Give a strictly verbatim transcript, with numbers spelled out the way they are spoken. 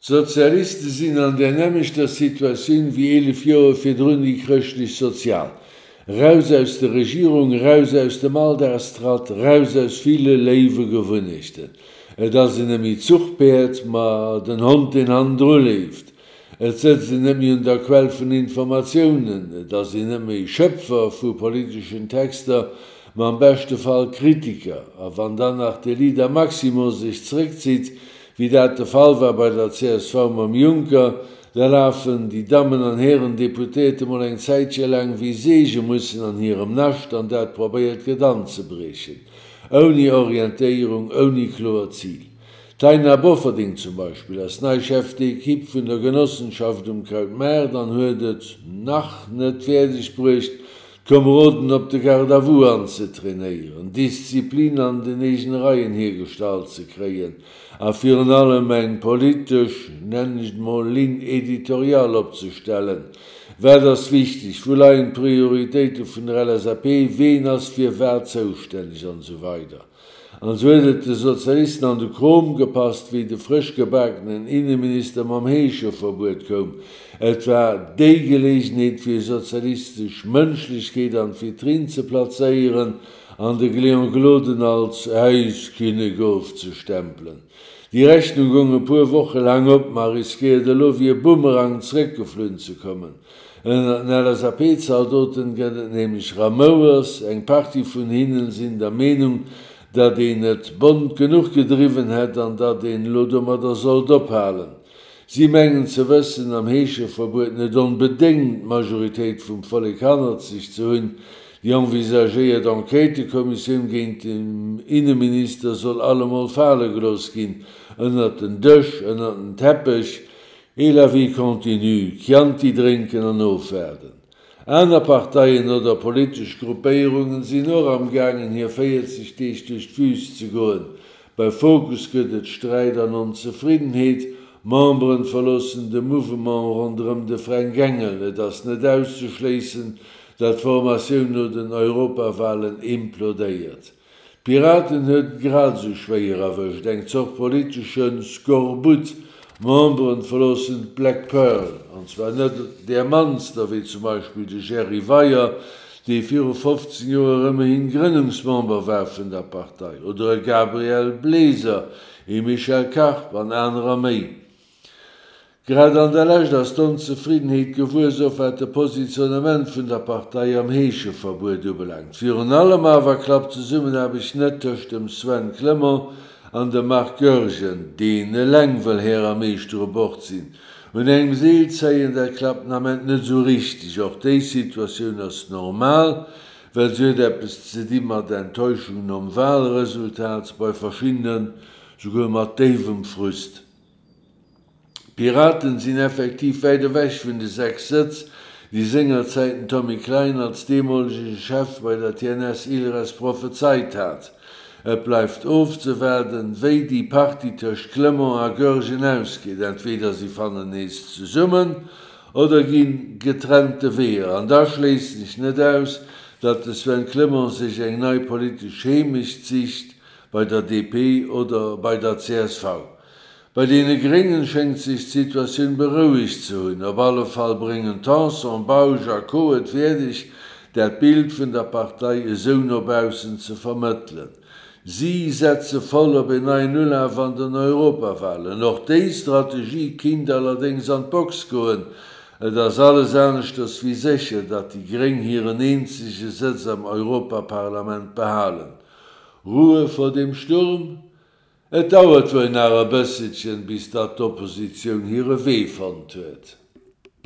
D'Sozialiste sinn an där nämmlechter Situatioun wéi eelef Joer virdrun déi Chrëschtlech-Sozial. Raus aus der Regierung, raus aus dem Alldagstratt, raus aus ville léiwe Gewunnechten. Et ass een net méi d'Zuchpäerd, ma den Hond, deen hannendru leeft. Et sëtzt een net méi un der Quell vun Informatiounen, et ass een net méi Schöpfer vu politeschen Texter, ma am beschte Fall Kritiker. A wann dann nach de Leader Maximo sech zréckzitt, wéi dat de Fall war bei der C S V mam Juncker, da lafen déi Dammen an Hären Deputéierte mol eng Zäitche laang wéi Seegemussen an hirem Nascht, an dat probéiert gëtt anzebriechen. Ouni Orientéierung, ouni kloert Zil. D'Taina Bofferding zum Beispill ass nei Chef d'équipe vun der Genossenschaft um Krautmaart an huet et nach net fäerdeg bruecht, d'Komeroden op de Garde-à-vous anzetrainéieren, Disziplin an den eegene Reien hiergestallt ze kréien a virun allem eng politesch, nennen ech et mol, Ligne éditoriale opzestellen. Wat ass wichteg, wou leien d'Prioritéite vun der L S A P, ween ass fir wat zoustänneg an esou weider. An esou huet et de Sozialisten an de Krom gepasst, wéi de frësch gebakenen Inneminister mam Heescheverbuet koum. Et war déi Geleegenheet fir sozialistesch Mënschlechkeet an d'Vitrinn ze plazéieren an de Léon Gloden als Äiskinnek ofzestempelen. Déi Rechnung goung e puer Woche laang op, ma riskéiert elo wéi e Bumerang zréckgeflunn ze kommen. Ënner den L S A P-Zaldoten gëtt et nämlech Ramouers, eng Partie vun hinnen sinn der Meenung, datt een et bont genuch gedriwwen hätt an datt een elo domadder sollt ophalen. Si mengen ze wëssen, am Heescheverbuet net onbedéngt d'Majoritéit vum Vollek hannert sech ze hunn. Déi envisagéiert Enquêtekommissioun géint den Inneminister soll allemol fale gelooss ginn, ënner den Dësch, ënner den Teppech, et la vie continue, Chianti drénken an ofwaarden. Aner Parteien oder politesch Gruppéierungen sinn och am gaangen, hir véierzeg Deeg duerch d'Wüst ze goen. Bei Fokus gëtt et Sträit an Onzefriddenheet, Memberen verloossen de Mouvement ronderëm de Fränk Engel. Et ass net auszeschléissen, datt d'Formatioun no den Europawahlen implodéiert. D'Piraten huet grad esou schwéier erwëscht, eng Zort politeschen Skorbut. Memberen verloossen d'Black Pearl, an zwar net der mannster, wéi zum Beispill de Jerry Weyer, dee viru fofzéng Joer ëmmerhin Grënnungsmember war vun der Partei, oder e Gabriel Bleser, e Michel Karp an anerer méi. Grad an der Lescht ass d'Onzefriddenheet gewuess, och wat de Positionnement vun der Partei am Heescheverbuet ubelaangt. Virun allem awer klappt d'Zesummenaarbecht net tëscht dem Sven Clement an dem Marc Goergen, deen eleng wëll Här a Meeschter u Bord sinn. Un engem Seel zéien, dat klappt den Ament net esou richteg. Och déi Situatioun ass normal, well se huet eppes ze di mat Enttäuschung nom Wahlresultat, bei verschiedenen souguer mat déiwem Frust. Piraten sinn effektiv wäit ewech vun de sechs Sëtz, déi sengerzäit den Tommy Klein als deemolege Chef bei der T N S Ilres prophezeit hat. Et bleift ofzewaarden, wéi déi Partie tëscht Clement a Goergen ausgeet. Entweder si fannen nees zesummen oder ginn getrennte Weeër. An da schléisst sech net aus, datt de Sven Clement sech eng nei politesch Heemecht sicht bei der D P oder bei der C S V. Bei deene Gréngen schéngt sech d'Situatioun berouegt ze hunn. Op alle Fall bréngen Tanson, Bausch a Co. Et fäerdeg, dat Bild vun der Partei esou no baussen ze vermëttelen. Si setze voll op en neien Ulaf an den Europawahlen. Och déi Strategie kinnt allerdéngs an d'Box goen. Et ass alles aneschters wéi sécher, datt déi Gréng hiren eenzege Sëtz am Europaparlament behalen. Ruhe vor dem Sturm? Et dauert wuel nach e bësselchen, bis datt d'Oppositioun hire Wee fonnt huet.